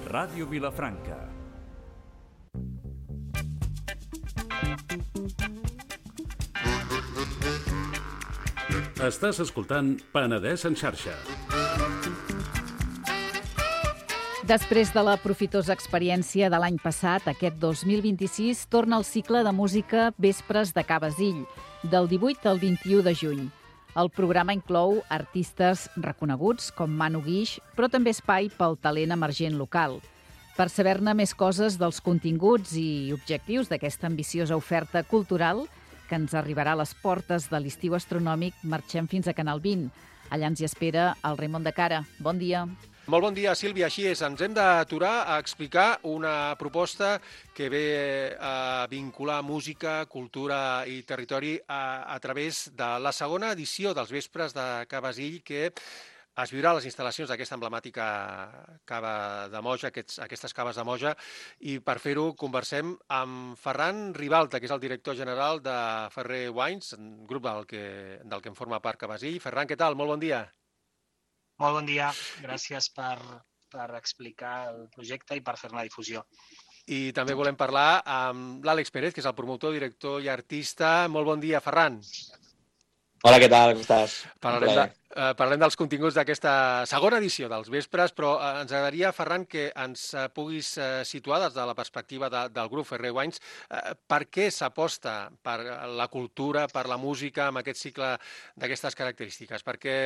Ràdio Vilafranca. Estàs escoltant Penedès en xarxa. Després de la profitosa experiència de l'any passat, aquest 2026 torna el cicle de música Vespres de Ca Basil, del 18 al 21 de juny. El programa inclou artistes reconeguts com Manu Guix, però també espai pel talent emergent local. Per saber-ne més coses dels continguts i objectius d'aquesta ambiciosa oferta cultural que ens arribarà a les portes de l'estiu astronòmic, marxem fins a Canal 20. Allà ens hi espera el Raimon de Cara. Bon dia. Molt bon dia, Sílvia. Així és, ens hem d'aturar a explicar una proposta que ve a vincular música, cultura i territori a través de la segona edició dels Vespres de Ca Basil, que es viurà a les instal·lacions d'aquesta emblemàtica cava de Moja, aquestes caves de Moja, i per fer-ho conversem amb Ferran Ribalta, que és el director general de Ferrer Wines, un grup del que en forma part Ca Basil. Ferran, què tal? Molt bon dia. Molt bon dia, gràcies per explicar el projecte i per fer-ne difusió. I també volem parlar amb l'Àlex Pérez, que és el promotor, director i artista. Molt bon dia, Ferran. Hola, què tal? Com estàs? Parlem dels continguts d'aquesta segona edició dels Vespres, però ens agradaria, Ferran, que ens puguis situar des de la perspectiva del grup Ferrer Wines per què s'aposta per la cultura, per la música, amb aquest cicle d'aquestes característiques. Per què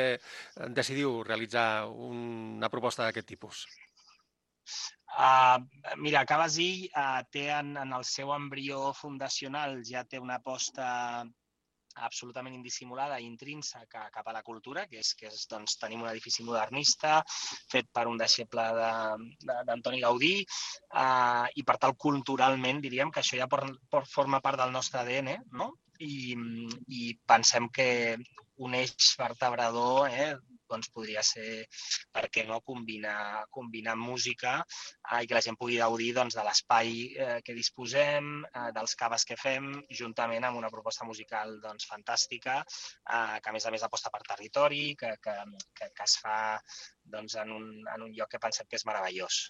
decidiu realitzar una proposta d'aquest tipus? Mira, Ca Basil té en el seu embrió fundacional, ja té una aposta absolutament indissimulada i intrínseca cap a la cultura, que és doncs, tenim un edifici modernista fet per un deixeble d'Antoni Gaudí i per tal culturalment diríem que això ja forma part del nostre ADN, no? I pensem que un eix vertebrador doncs podria ser, per què no, combinar música i que la gent pugui gaudir doncs, de l'espai que disposem, dels caves que fem, juntament amb una proposta musical doncs, fantàstica, que a més aposta per territori, que es fa doncs, en un lloc que pensem que és meravellós.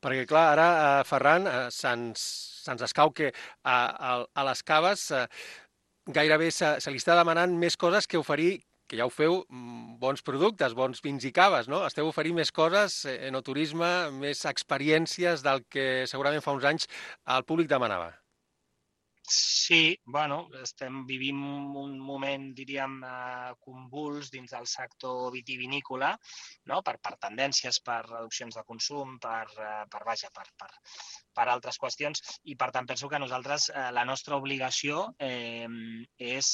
Perquè, clar, ara, Ferran, se'ns escau que a les caves gairebé se li està demanant més coses que oferir, que ja ho feu, bons productes, bons vins i caves, no? Esteu oferint més coses, enoturisme, més experiències del que segurament fa uns anys el públic demanava. Sí, bueno, vivim un moment, diríem, convuls dins del sector vitivinícola, no? Per tendències, per reduccions de consum, per altres qüestions, i per tant penso que nosaltres la nostra obligació és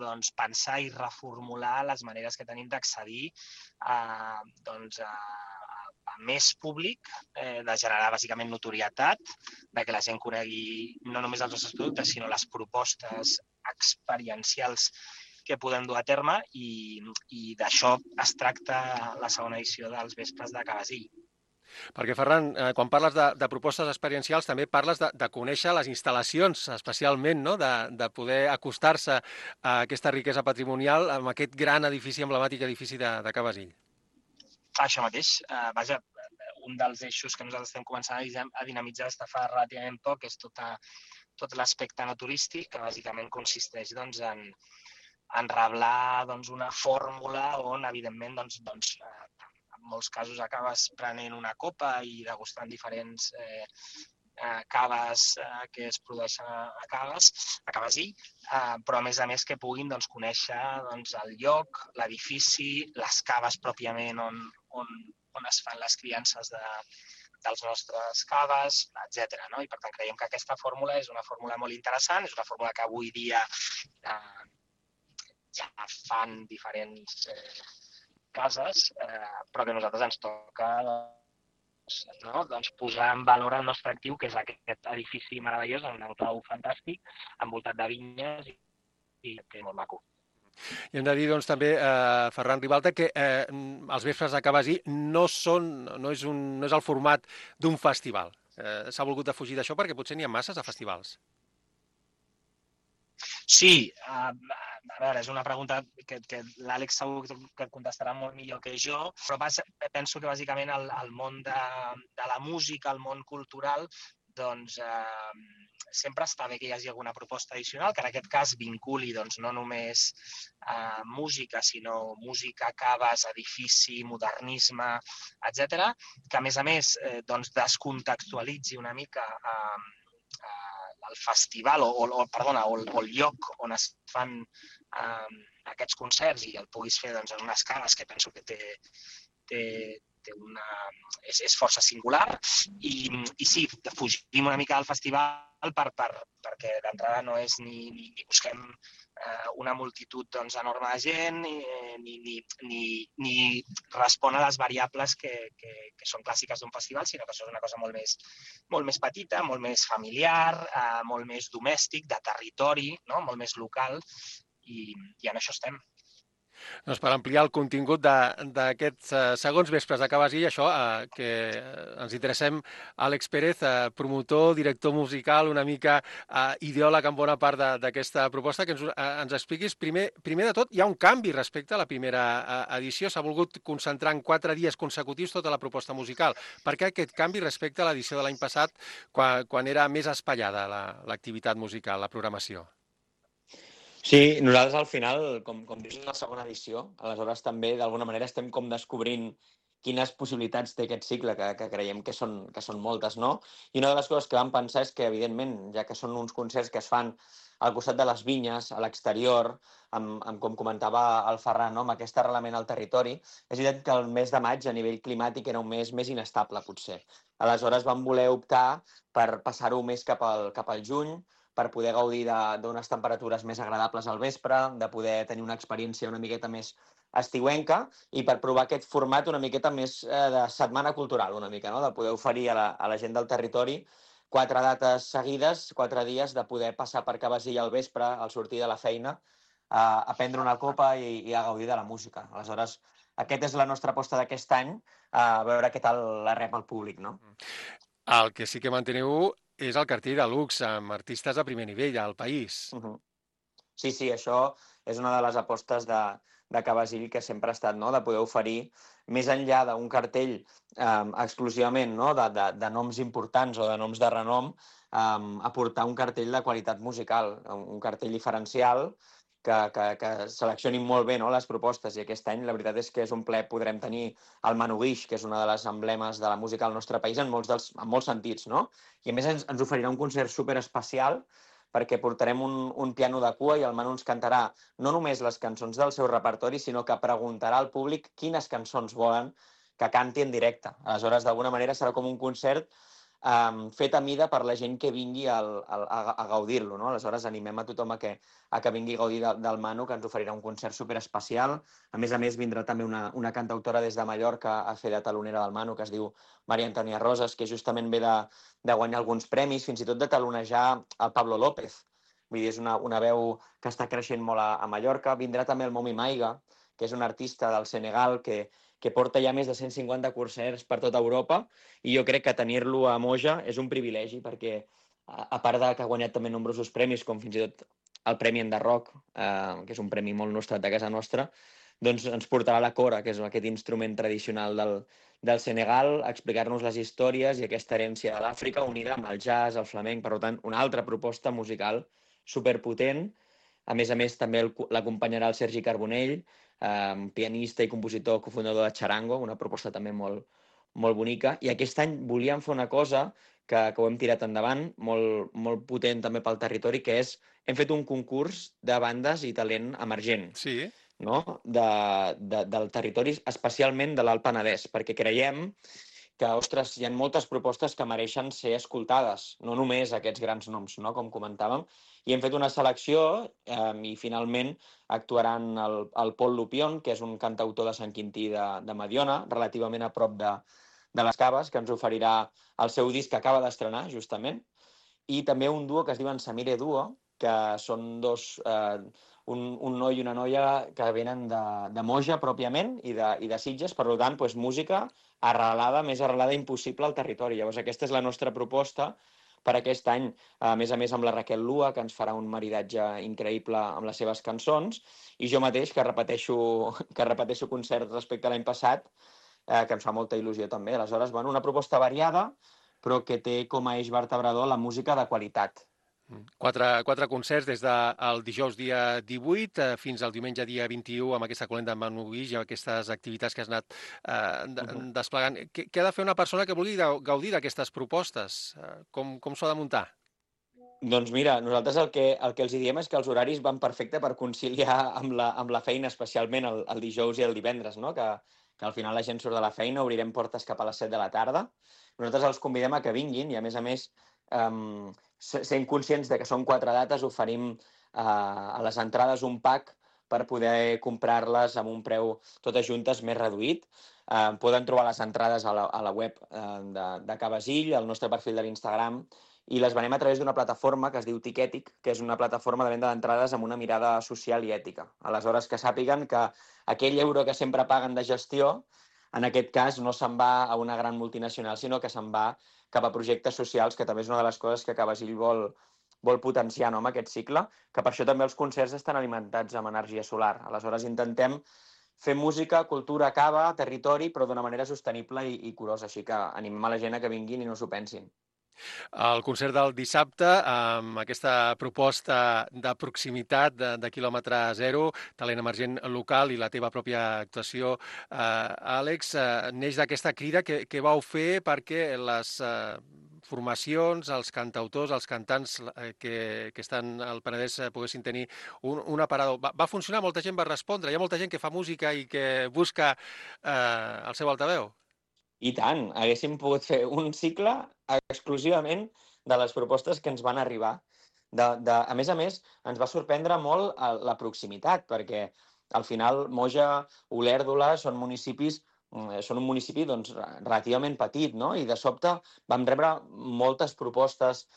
doncs, pensar i reformular les maneres que tenim d'accedir a més públic, de generar bàsicament notorietat, de que la gent conegui no només els nostres productes, sinó les propostes experiencials que podem dur a terme, i d'això es tracta la segona edició dels Vespres de Ca Basil. Perquè, Ferran, quan parles de propostes experiencials també parles de conèixer les instal·lacions, especialment, no? De poder acostar-se a aquesta riquesa patrimonial amb aquest gran edifici, emblemàtic edifici de Ca Basil. Això mateix. Vaja, un dels eixos que nosaltres estem començant a dinamitzar des de fa relativament poc és tot l'aspecte no turístic, que bàsicament consisteix doncs, en reblar doncs, una fórmula on, evidentment, en molts casos acabes prenent una copa i degustant diferents caves que es produeixen a Ca Basil, però a més que puguin doncs, conèixer doncs, el lloc, l'edifici, les caves pròpiament on es fan les criances dels nostres caves, etc. No? I per tant creiem que aquesta fórmula és una fórmula molt interessant, és una fórmula que avui dia ja fan diferents cases, però que a nosaltres ens toca doncs, posar en valor el nostre actiu, que és aquest edifici meravellós, un clau fantàstic, envoltat de vinyes i que és molt maco. I hem de dir, doncs, també, Ferran Ribalta, que els Vespres de Ca Basil no és el format d'un festival. S'ha volgut defugir d'això perquè potser n'hi ha masses de festivals. Sí, a veure, és una pregunta que l'Àlex segur que et contestarà molt millor que jo, però penso que bàsicament el món de la música, el món cultural, doncs sempre està bé que hi hagi alguna proposta addicional, que en aquest cas vinculi doncs, no només música, sinó música, caves, edifici, modernisme, etc, que a més doncs, descontextualitzi una mica el festival o el lloc on es fan aquests concerts i el puguis fer doncs, en unes caves que penso que és força singular i sí, fugim una mica del festival perquè d'entrada no és ni busquem una multitud doncs, enorme de gent ni respon a les variables que són clàssiques d'un festival, sinó que això és una cosa molt més petita, molt més familiar, molt més domèstic, de territori, no? Molt més local, i en això estem. Doncs per ampliar el contingut d'aquests segons vespres de Cabasí, això que ens interessem, Àlex Pérez, promotor, director musical, una mica ideòleg en bona part d'aquesta proposta, que ens expliquis. Primer de tot, hi ha un canvi respecte a la primera edició. S'ha volgut concentrar en 4 dies consecutius tota la proposta musical. Per què aquest canvi respecte a l'edició de l'any passat, quan era més espaiada l'activitat musical, la programació? Sí, nosaltres al final, com dius, és la segona edició, aleshores també d'alguna manera estem com descobrint quines possibilitats té aquest cicle, que creiem que són moltes, no? I una de les coses que vam pensar és que, evidentment, ja que són uns concerts que es fan al costat de les vinyes, a l'exterior, com comentava el Ferran, no? Amb aquest arrelament al territori, és veritat que el mes de maig a nivell climàtic era un mes més inestable, potser. Aleshores vam voler optar per passar-ho més cap al juny, per poder gaudir d'unes temperatures més agradables al vespre, de poder tenir una experiència una miqueta més estiuenca i per provar aquest format una miqueta més de setmana cultural, una mica, no? De poder oferir a la gent del territori 4 dates seguides, 4 dies de poder passar per Cabasí al vespre, al sortir de la feina, a prendre una copa i a gaudir de la música. Aleshores, aquesta és la nostra aposta d'aquest any, a veure què tal la rep el públic, no? El que sí que manteneu és el cartell de luxe, amb artistes de primer nivell al país. Sí, això és una de les apostes de Cabasí que sempre ha estat, no? De poder oferir, més enllà d'un cartell exclusivament, no? de noms importants o de noms de renom, aportar un cartell de qualitat musical, un cartell diferencial que seleccionin molt bé, no? Les propostes, i aquest any la veritat és que és un plaer. Podrem tenir el Manu Guix, que és una de les emblemes de la música al nostre país en molts sentits, no? I a més ens oferirà un concert superespecial perquè portarem un piano de cua i el Manu ens cantarà no només les cançons del seu repertori, sinó que preguntarà al públic quines cançons volen que canti en directe. Aleshores, d'alguna manera serà com un concert fet a mida per la gent que vingui a gaudir-lo, no? Aleshores, animem a tothom a que vingui a gaudir del Manu, que ens oferirà un concert superespecial. A més, vindrà també una cantautora des de Mallorca a fer de talonera del Manu, que es diu Maria Antònia Rosas, que justament ve de guanyar alguns premis, fins i tot de talonejar el Pablo López. Vull dir, és una veu que està creixent molt a Mallorca. Vindrà també el Momi Maiga, que és un artista del Senegal que porta ja més de 150 concerts per tota Europa, i jo crec que tenir-lo a Moja és un privilegi, perquè a part que ha guanyat també nombrosos premis, com fins i tot el Premi Enderroc, que és un premi molt nostrat de casa nostra, doncs ens portarà la cora, que és aquest instrument tradicional del Senegal, a explicar-nos les històries i aquesta herència de l'Àfrica unida amb el jazz, el flamenc. Per tant, una altra proposta musical superpotent. A més, també l'acompanyarà el Sergi Carbonell, pianista i compositor, cofundador de Charango, una proposta també molt, molt bonica. I aquest any volíem fer una cosa que ho hem tirat endavant, molt potent també pel territori, que és, hem fet un concurs de bandes i talent emergent. Sí. No? Del territori, especialment de l'Alt Penedès, perquè creiem que, ostres, hi ha moltes propostes que mereixen ser escoltades, no només aquests grans noms, no? Com comentàvem, i hem fet una selecció i finalment actuaran el Pol Lupion, que és un cantautor de Sant Quintí de Mediona, relativament a prop de les Caves, que ens oferirà el seu disc que acaba d'estrenar, justament, i també un duo que es diuen Samire Duo, que són un noi i una noia que venen de Moja, pròpiament, i de Sitges. Per tant, música arrelada, més arrelada impossible al territori. Llavors, aquesta és la nostra proposta per aquest any, a més amb la Raquel Lua, que ens farà un maridatge increïble amb les seves cançons, i jo mateix, que repeteixo concerts respecte a l'any passat, que em fa molta il·lusió també. Aleshores, bueno, una proposta variada, però que té com a eix vertebrador la música de qualitat. Quatre concerts des del dijous dia 18 fins al diumenge dia 21 amb aquesta colenda en Manu Guix i aquestes activitats que has anat desplegant. Què ha de fer una persona que vulgui gaudir d'aquestes propostes? Com s'ho ha de muntar? Doncs mira, nosaltres el que els diem és que els horaris van perfecte per conciliar amb la feina, especialment el dijous i el divendres, no? Que al final la gent surt de la feina, obrirem portes cap a les 7 de la tarda. Nosaltres els convidem a que vinguin i, a més, sent conscients de que són 4 dates, oferim a les entrades un pack per poder comprar-les amb un preu totes juntes més reduït. Poden trobar les entrades a la web de Cabasill, al nostre perfil de l'Instagram, i les venem a través d'una plataforma que es diu Ticketic, que és una plataforma de venda d'entrades amb una mirada social i ètica. Aleshores, que sàpiguen que aquell euro que sempre paguen de gestió, en aquest cas no se'n va a una gran multinacional, sinó que se'n va cap a projectes socials, que també és una de les coses que Cabasill vol potenciar, no, amb aquest cicle, que per això també els concerts estan alimentats amb energia solar. Aleshores, intentem fer música, cultura, cava, territori, però d'una manera sostenible i curosa, així que animem a la gent a que vinguin i no s'ho pensin. El concert del dissabte, amb aquesta proposta de proximitat de quilòmetre zero, talent emergent local i la teva pròpia actuació, Àlex, neix d'aquesta crida que vau fer perquè les formacions, els cantautors, els cantants que estan al Penedès poguessin tenir un aparador. Va funcionar? Molta gent va respondre? Hi ha molta gent que fa música i que busca el seu altaveu? I tant, haguéssim pogut fer un cicle exclusivament de les propostes que ens van arribar. A més, ens va sorprendre molt la proximitat, perquè al final Moja, Olèrdola són un municipi doncs, relativament petit, no? I de sobte vam rebre moltes propostes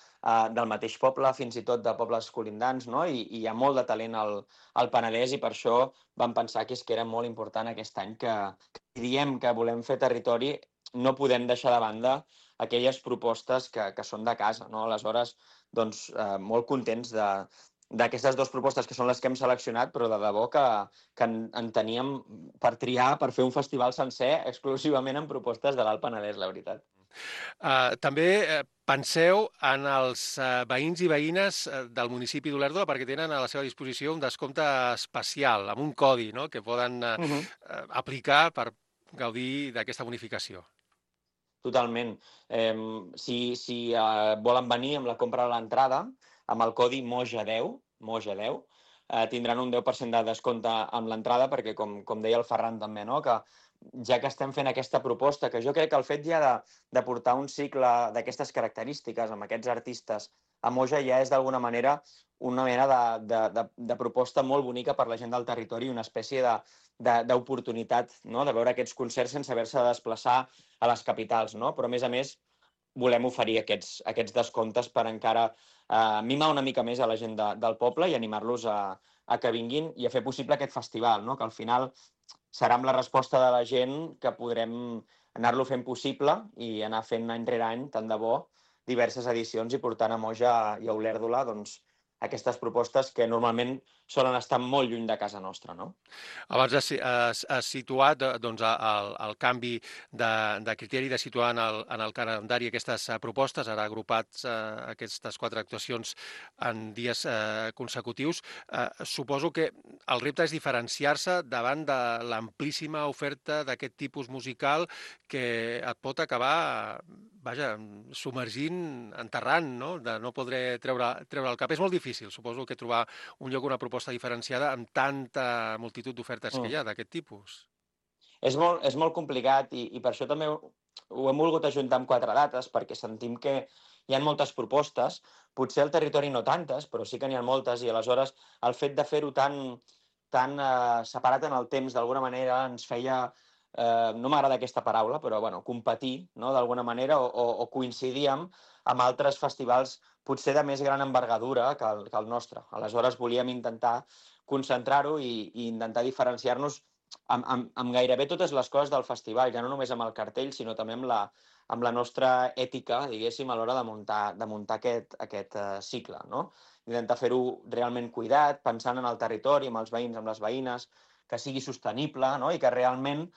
del mateix poble, fins i tot de pobles colindants, no? I hi ha molt de talent al Penedès i per això vam pensar que era molt important aquest any que diem que volem fer territori, no podem deixar de banda aquelles propostes que són de casa, no? Aleshores, doncs, molt contents d'aquestes 2 propostes que són les que hem seleccionat, però de debò que en teníem per triar, per fer un festival sencer exclusivament en propostes de l'Alt Penedès, la veritat. També penseu en els veïns i veïnes del municipi d'Olèrdola perquè tenen a la seva disposició un descompte especial, amb un codi, no?, que poden aplicar per gaudir d'aquesta bonificació. Totalment. Si volen venir amb la compra de l'entrada, amb el codi MOJA10, tindran un 10% de descompte amb l'entrada, perquè, com deia el Ferran també, no?, que ja que estem fent aquesta proposta, que jo crec que el fet ja de portar un cicle d'aquestes característiques amb aquests artistes a Moja ja és d'alguna manera una mena de proposta molt bonica per la gent del territori, una espècie d'oportunitat, no?, de veure aquests concerts sense haver-se de desplaçar a les capitals, no? Però, a més, volem oferir aquests descomptes per encara mimar una mica més a la gent del poble i animar-los a que vinguin i a fer possible aquest festival, no?, que al final serà amb la resposta de la gent que podrem anar-lo fent possible i anar fent any rere any, tant de bo, diverses edicions i portant a Moja i a Olèrdola doncs, aquestes propostes que normalment solen estar molt lluny de casa nostra, no? Abans has situat doncs, el canvi de criteri de situar en el calendari aquestes propostes, ara agrupats aquestes 4 actuacions en dies consecutius. Suposo que el repte és diferenciar-se davant de l'amplíssima oferta d'aquest tipus musical que et pot acabar submergint, enterrant, no?, de no poder treure el cap. És molt difícil, suposo, que trobar un lloc, una proposta diferenciada amb tanta multitud d'ofertes que hi ha d'aquest tipus. És molt complicat i per això també ho hem volgut ajuntar amb 4 dates, perquè sentim que hi ha moltes propostes, potser al territori no tantes, però sí que n'hi ha moltes, i aleshores el fet de fer-ho tan separat en el temps, d'alguna manera ens feia, no m'agrada aquesta paraula, però bueno, competir, no?, d'alguna manera, o coincidir amb altres festivals potser de més gran envergadura que el nostre. Aleshores volíem intentar concentrar-ho i intentar diferenciar-nos amb gairebé totes les coses del festival, ja no només amb el cartell, sinó també amb la nostra ètica, diguéssim, a l'hora de muntar aquest cicle, no? Intentar fer-ho realment cuidat, pensant en el territori, amb els veïns, amb les veïnes, que sigui sostenible, no? I que realment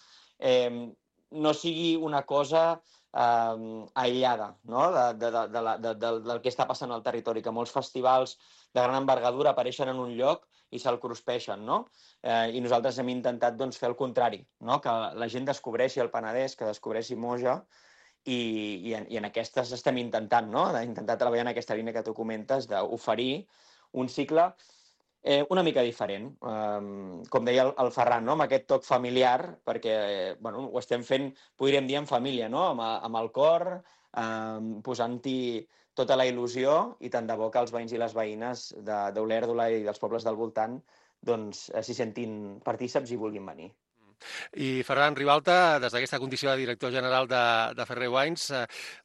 no sigui una cosa aïllada, no? Del que està passant al territori, que molts festivals de gran envergadura apareixen en un lloc i se'l cruspeixen, no? I nosaltres hem intentat fer el contrari, no? Que la gent descobreixi el Penedès, que descobreixi Moja, i en aquestes estem intentant, no? D'intentar treballar en aquesta línia que tu comentes, d'oferir un cicle una mica diferent. Com deia el Ferran, no? Amb aquest toc familiar, perquè ho estem fent, podríem dir, en família, no? Amb el cor, posant-hi tota la il·lusió, i tant de bo que els veïns i les veïnes d'Olèrdola i dels pobles del voltant s'hi sentin partíceps i vulguin venir. I Ferran Ribalta, des d'aquesta condició de director general de Ferrer Wines,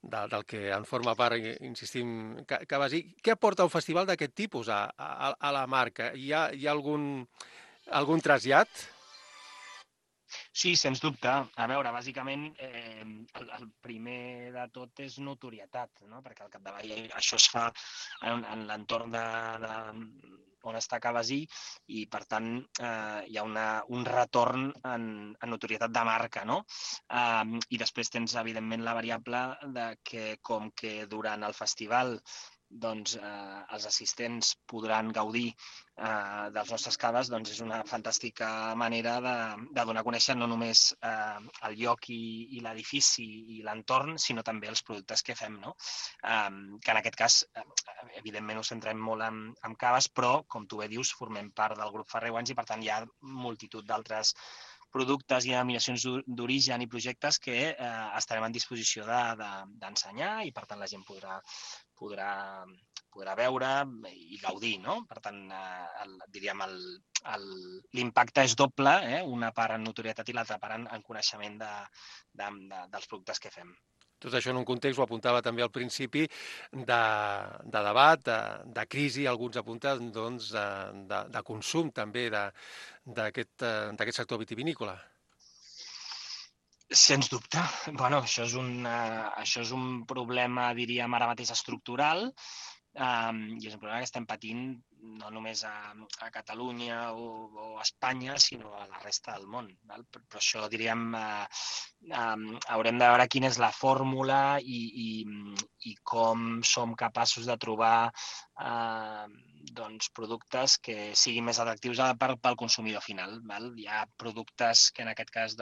del que en forma part, insistim, Cabasí, què aporta un festival d'aquest tipus a la marca? Hi ha algun trasllat? Sí, sens dubte. A veure, bàsicament, el primer de tot és notorietat, no? Perquè al capdavall això es fa en l'entorn on està Cabasí, i per tant hi ha un retorn en notorietat de marca, no? I després tens, evidentment, la variable de que, com que durant el festival els assistents podran gaudir dels nostres caves, és una fantàstica manera de donar a conèixer no només el lloc i l'edifici i l'entorn, sinó també els productes que fem, no? Que en aquest cas, evidentment, ho centrem molt en caves, però, com tu bé dius, formem part del grup Ferrer Wines i, per tant, hi ha multitud d'altres productes i denominacions d'origen i projectes que estarem en disposició d'ensenyar, i per tant la gent podrà veure i gaudir, no? Per tant, diríem, l'impacte és doble, una part en notorietat i l'altra part en coneixement dels productes que fem. Tot això en un context, ho apuntava també al principi, de debat, de crisi, alguns apunten, de consum també d'aquest sector vitivinícola. Sens dubte. Bueno, això és un problema, diríem, ara mateix estructural, i és un problema que estem patint no només a Catalunya o a Espanya, sinó a la resta del món. Però això, diríem, haurem de veure quina és la fórmula i com som capaços de trobar productes que siguin més atractius pel consumidor final. Hi ha productes que en aquest cas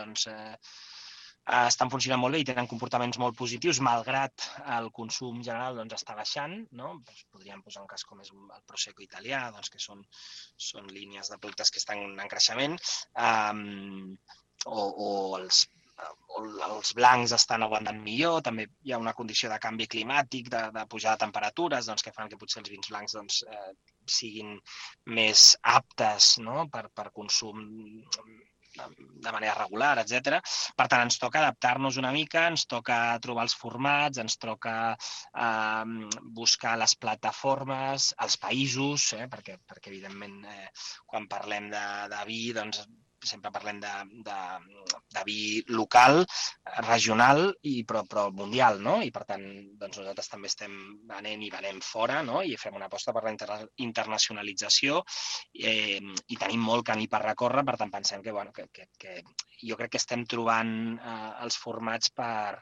estan funcionant molt bé i tenen comportaments molt positius, malgrat el consum general està baixant, no? Podríem posar un cas com és el Prosecco italià, que són línies de productes que estan en creixement, o els blancs estan aguantant millor. També hi ha una condició de canvi climàtic, de pujada de temperatures, que fan que potser els vins blancs siguin més aptes per consum de manera regular, etc. Per tant, ens toca adaptar-nos una mica, ens toca trobar els formats, ens toca buscar les plataformes, els països, perquè evidentment, quan parlem de vi, sempre parlem de vi local, regional, però mundial, no? I per tant, nosaltres també estem venent i venem fora, no? I fem una aposta per la internacionalització, i tenim molt camí per recórrer. Per tant, pensem que jo crec que estem trobant els formats per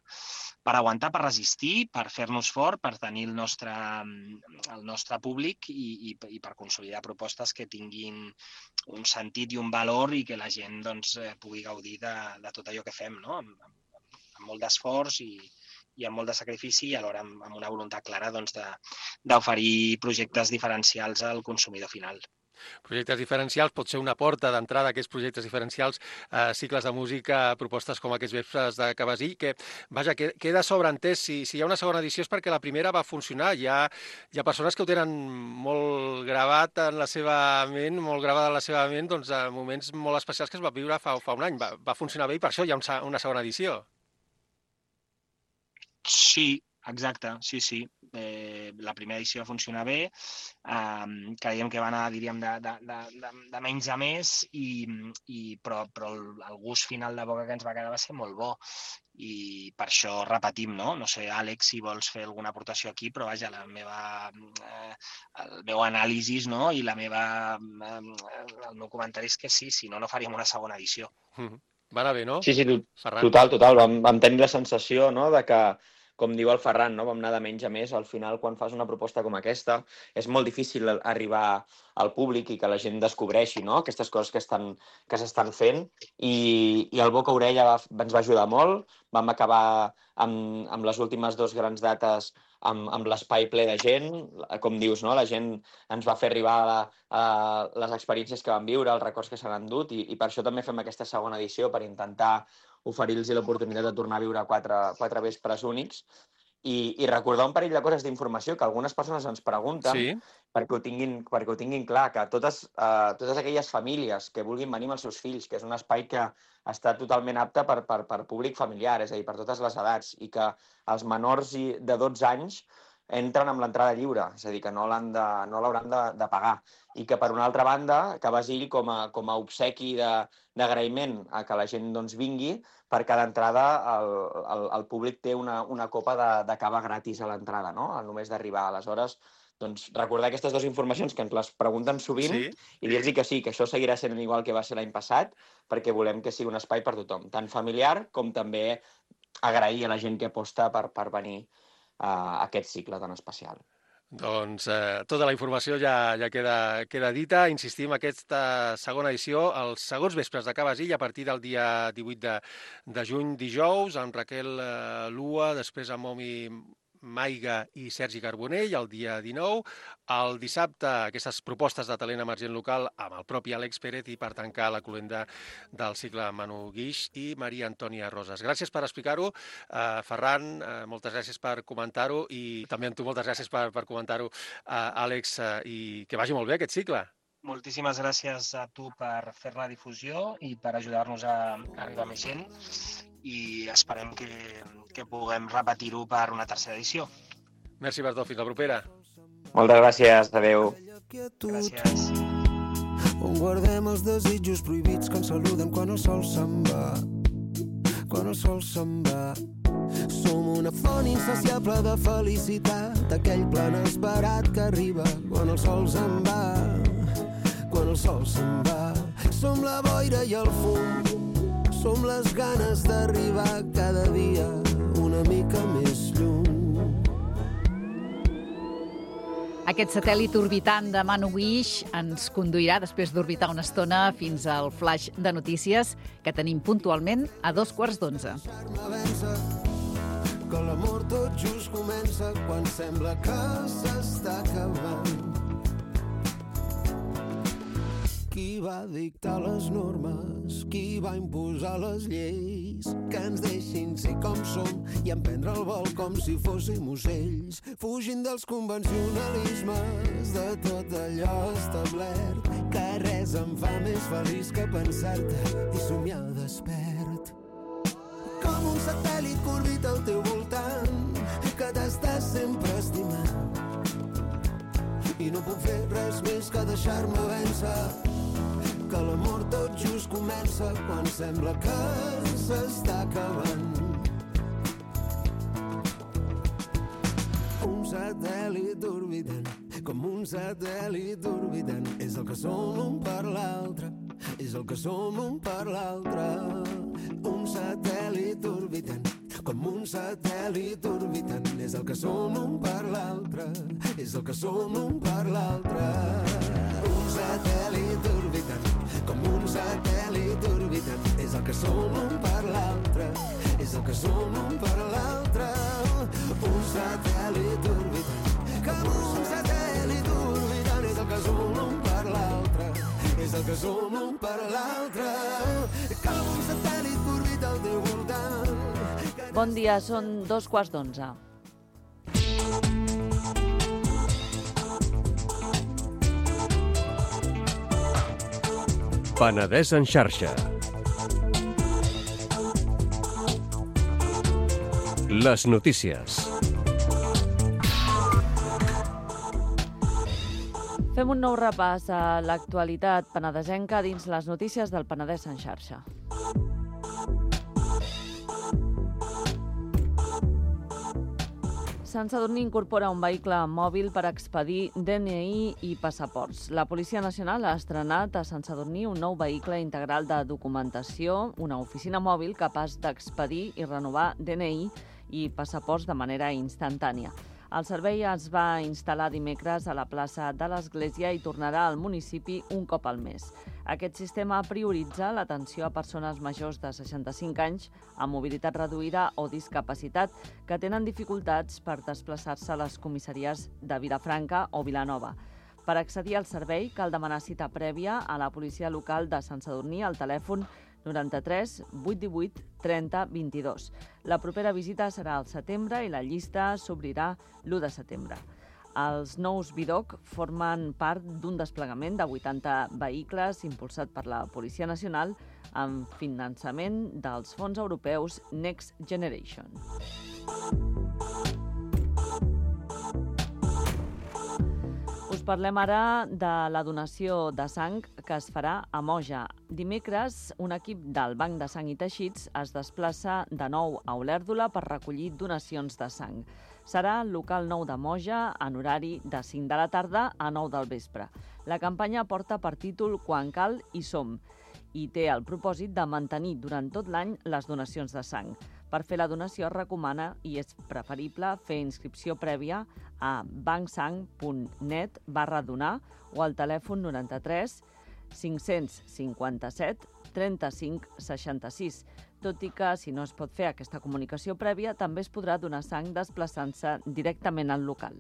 aguantar, per resistir, per fer-nos fort, per tenir el nostre públic i per consolidar propostes que tinguin un sentit i un valor i que la gent pugui gaudir de tot allò que fem, no? Amb molt d'esforç i amb molt de sacrifici, i alhora amb una voluntat clara d'oferir projectes diferencials al consumidor final. Projectes diferencials, pot ser una porta d'entrada a aquests projectes diferencials, cicles de música, propostes com aquests vespres de Cabasí, que, vaja, queda sobreentès. Si hi ha una segona edició és perquè la primera va funcionar. Hi ha persones que ho tenen molt gravat en la seva ment, molt gravada en la seva ment, moments molt especials que es va viure fa un any. Va funcionar bé i per això hi ha una segona edició. Sí, exacte, sí. la primera edició va funcionar bé, creiem que va anar, diríem, de menys a més, però el gust final de boca que ens va quedar va ser molt bo. I per això repetim, no? No sé, Àlex, si vols fer alguna aportació aquí, però vaja, el meu anàlisi, no? I el meu comentari és que sí, si no, no faríem una segona edició. Va anar bé, no? Sí, Ferran? total. Vam tenir la sensació, no?, de que, com diu el Ferran, no?, vam anar de menys a més. Al final, quan fas una proposta com aquesta, és molt difícil arribar al públic i que la gent descobreixi, no?, aquestes coses que s'estan fent. I el boca-orella ens va ajudar molt. Vam acabar amb les últimes 2 grans dates amb l'espai ple de gent. Com dius, no?, la gent ens va fer arribar les experiències que van viure, els records que s'han endut, i per això també fem aquesta segona edició, per intentar oferir-los l'oportunitat de tornar a viure 4 vespres únics i recordar un parell de coses d'informació que algunes persones ens pregunten, sí, perquè ho tinguin clar, que totes aquelles famílies que vulguin venir amb els seus fills, que és un espai que està totalment apte per públic familiar, és a dir, per totes les edats, i que els menors de 12 anys entren amb l'entrada lliure, és a dir, que no l'hauran de pagar. I que, per una altra banda, que Basil, com a obsequi d'agraïment a que la gent vingui, per cada entrada el públic té una copa de cava gratis a l'entrada, no?, només d'arribar. Aleshores, recordar aquestes 2 informacions que ens les pregunten sovint, sí, i dir-los que sí, que això seguirà sent igual que va ser l'any passat, perquè volem que sigui un espai per tothom, tant familiar com també agrair a la gent que aposta per venir a aquest cicle tan especial. Doncs tota la informació ja queda dita. Insistim, aquesta segona edició, els segons vespres de Ca Basil, a partir del dia 18 de juny, dijous, amb Raquel Lua, després amb Momi Maiga i Sergi Carbonell, el dia 19. El dissabte, aquestes propostes de talent emergent local amb el propi Àlex Pérez, i per tancar la cloenda del cicle Manu Guix i Maria Antònia Roses. Gràcies per explicar-ho. Ferran, moltes gràcies per comentar-ho, i també a tu moltes gràcies per comentar-ho, Àlex, i que vagi molt bé aquest cicle. Moltíssimes gràcies a tu per fer la difusió i per ajudar-nos a arribar a més gent, i esperem que puguem repetir-ho per una tercera edició. Merci per tot, fins la propera. Moltes gràcies, adeu. Gràcies. On guardem els desitjos prohibits que ens saluden quan el sol se'n va. Quan el sol se'n va. Som una font insaciable de felicitat, aquell plan esperat que arriba quan el sol se'n va. Quan el sol se'n va. Som la boira i el fum, som les ganes d'arribar cada dia una mica més lluny. Aquest satèl·lit orbitant de Manu Guix ens conduirà, després d'orbitar una estona, fins al flash de notícies que tenim puntualment a 11:15. Que l'amor tot just comença quan sembla que s'està acabant. Qui va dictar les normes? Qui va imposar les lleis? Que ens deixin ser com som i emprendre el vol com si fóssim ocells, fugint dels convencionalismes de tot allò establert, que res em fa més feliç que pensar-te i somiar despert. Com un satèl·lit que orbita al teu voltant, que t'estàs sempre estimant, i no puc fer res més que deixar-me vèncer, que l'amor tot just comença quan sembla que s'està acabant. Un satèl·lit orbitant, com un satèl·lit orbitant, és el que som un per l'altre, és el que som un per l'altre. Un satèl·lit orbitant, com un satèl·lit orbitant, és el que som un per l'altre, és el que som un per l'altre. Un satèl·lit orbitant, com un satèl·lit orbitant, és el que som un per l'altre, és el que som un per l'altre. Un satèl·lit orbitant, com un satèl·lit orbitant, és el que som un per l'altre, és el que som un per l'altre. Com un satèl·lit que orbita al teu voltant. Bon dia, són 11:15. Penedès en xarxa. Les notícies. Fem un nou repàs a l'actualitat penedesenca dins les notícies del Penedès en xarxa. Sant Sadurní incorpora un vehicle mòbil per expedir DNI i passaports. La Policia Nacional ha estrenat a Sant Sadurní un nou vehicle integral de documentació, una oficina mòbil capaç d'expedir i renovar DNI i passaports de manera instantània. El servei es va instal·lar dimecres a la plaça de l'Església i tornarà al municipi un cop al mes. Aquest sistema prioritza l'atenció a persones majors de 65 anys amb mobilitat reduïda o discapacitat que tenen dificultats per desplaçar-se a les comissaries de Vilafranca o Vilanova. Per accedir al servei cal demanar cita prèvia a la policia local de Sant Sadurní al telèfon 93 818 30 22. La propera visita serà al setembre i la llista s'obrirà l'1 de setembre. Els nous BIDOC formen part d'un desplegament de 80 vehicles impulsat per la Policia Nacional amb finançament dels fons europeus Next Generation. Us parlem ara de la donació de sang que es farà a Moja. Dimecres, un equip del Banc de Sang i Teixits es desplaça de nou a Olèrdola per recollir donacions de sang. Serà al local 9 de Moja en horari de 5 de la tarda a 9 del vespre. La campanya porta per títol Quan cal hi som i té el propòsit de mantenir durant tot l'any les donacions de sang. Per fer la donació es recomana i és preferible fer inscripció prèvia a bancsang.net/donar o al telèfon 93 557 35 66. Tot i que, si no es pot fer aquesta comunicació prèvia, també es podrà donar sang desplaçant-se directament al local.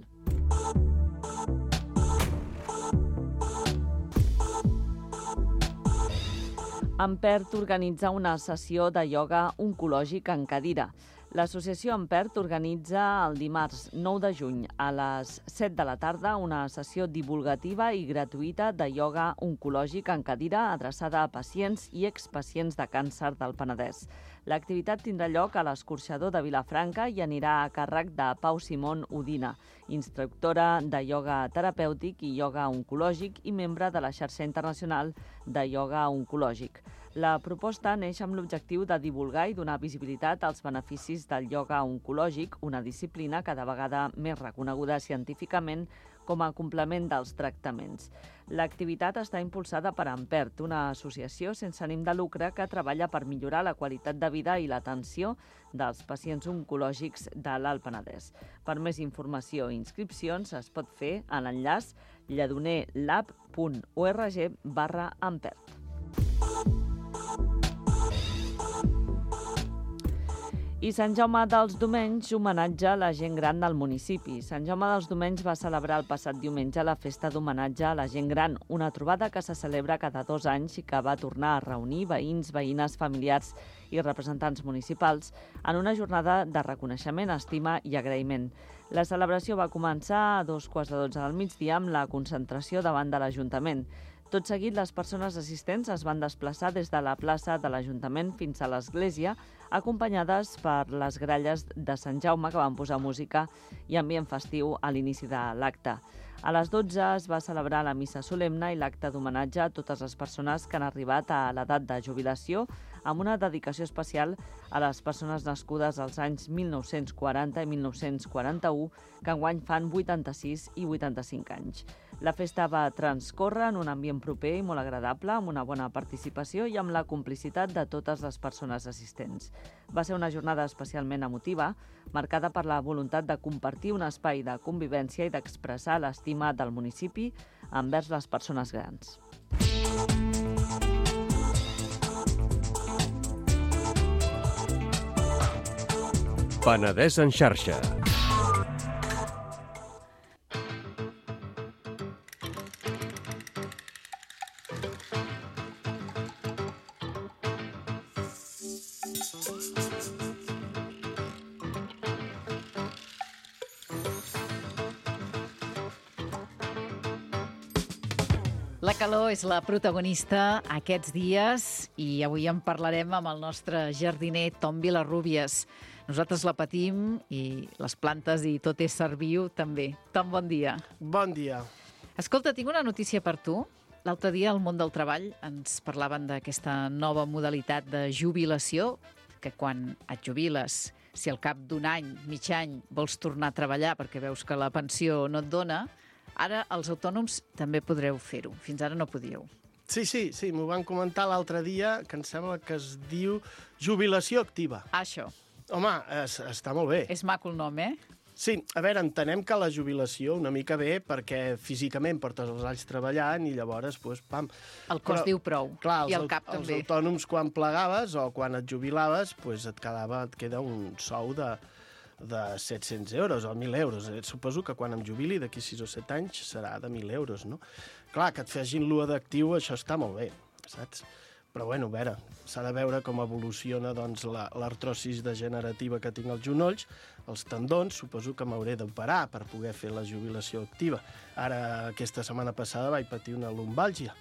Ampert organitza una sessió de ioga oncològic en cadira. L'associació Ampert organitza el dimarts 9 de juny a les 7 de la tarda una sessió divulgativa i gratuïta de ioga oncològic en cadira adreçada a pacients i expacients de càncer del Penedès. L'activitat tindrà lloc a l'escorxador de Vilafranca i anirà a càrrec de Pau Simón Udina, instructora de ioga terapèutic i ioga oncològic i membre de la xarxa internacional de ioga oncològic. La proposta neix amb l'objectiu de divulgar i donar visibilitat als beneficis del ioga oncològic, una disciplina cada vegada més reconeguda científicament com a complement dels tractaments. L'activitat està impulsada per Ampert, una associació sense ànim de lucre que treballa per millorar la qualitat de vida i l'atenció dels pacients oncològics de l'Alt Penedès. Per més informació i inscripcions es pot fer a l'enllaç lledonerlab.org/Ampert. I Sant Jaume dels Domenys homenatja la gent gran del municipi. Sant Jaume dels Domenys va celebrar el passat diumenge la festa d'homenatge a la gent gran, una trobada que se celebra cada 2 anys i que va tornar a reunir veïns, veïnes, familiars i representants municipals en una jornada de reconeixement, estima i agraïment. La celebració va començar a 2:15 del migdia amb la concentració davant de l'Ajuntament. Tot seguit, les persones assistents es van desplaçar des de la plaça de l'Ajuntament fins a l'església, acompanyades per les gralles de Sant Jaume, que van posar música i ambient festiu a l'inici de l'acte. A les 12 es va celebrar la missa solemne i l'acte d'homenatge a totes les persones que han arribat a l'edat de jubilació, amb una dedicació especial a les persones nascudes als anys 1940 i 1941, que enguany fan 86 i 85 anys. La festa va transcórrer en un ambient proper i molt agradable, amb una bona participació i amb la complicitat de totes les persones assistents. Va ser una jornada especialment emotiva, marcada per la voluntat de compartir un espai de convivència i d'expressar l'estima del municipi envers les persones grans. Penedès en xarxa. La calor és la protagonista aquests dies i avui en parlarem amb el nostre jardiner Tom Vilarrubias. Nosaltres la patim i les plantes i tot ésser viu també. Tom, bon dia. Bon dia. Escolta, tinc una notícia per tu. L'altre dia al món del treball ens parlaven d'aquesta nova modalitat de jubilació, que quan et jubiles, si al cap d'un any, mig any, vols tornar a treballar perquè veus que la pensió no et dona, ara els autònoms també podreu fer-ho. Fins ara no podíeu. Sí, m'ho van comentar l'altre dia, que em sembla que es diu jubilació activa. Això. Home, està molt bé. És maco el nom, eh? Sí, a veure, entenem que la jubilació una mica bé perquè físicament portes els anys treballant i llavors, doncs, pam. El cos diu prou, clar, i el cap també. Els autònoms, quan plegaves o quan et jubilaves, doncs et queda un sou de 700 euros o 1.000 euros. Suposo que quan em jubili, d'aquí 6 o 7 anys, serà de 1.000 euros, no? Clar, que et facin l'UA d'actiu, això està molt bé, saps? Però, bueno, a veure, s'ha de veure com evoluciona doncs, l'artrosis degenerativa que tinc als genolls, els tendons, suposo que m'hauré d'operar per poder fer la jubilació activa. Ara, aquesta setmana passada vaig patir una lumbàlgia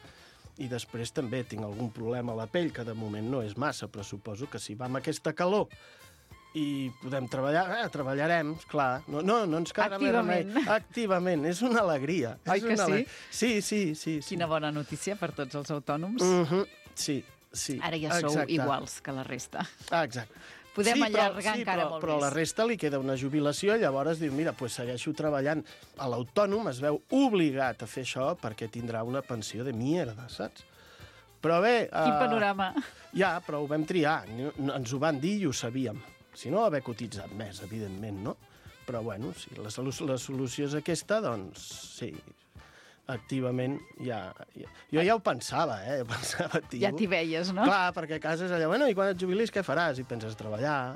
i després també tinc algun problema a la pell, que de moment no és massa, però suposo que si va amb aquesta calor i podem treballar, treballarem, clar. No ens quedarà més remei. Activament, és una alegria. Oi que sí? Sí. Quina bona notícia per tots els autònoms. Sí. Ara ja sou iguals que la resta. Exacte. Podem allargar encara molt més. Però a la resta li queda una jubilació, llavors diu, mira, doncs segueixo treballant. L'autònom es veu obligat a fer això perquè tindrà una pensió de mierda, saps? Però bé... Quin panorama. Ja, però ho vam triar. Ens ho van dir i ho sabíem. Si no, haver cotitzat més, evidentment, no? Però, bueno, si la solució és aquesta, doncs, sí, activament ja... Jo ja ho pensava, pensava, tio. Ja t'hi veies, no? Clar, perquè a casa és allò, bueno, i quan et jubilis què faràs? I penses treballar.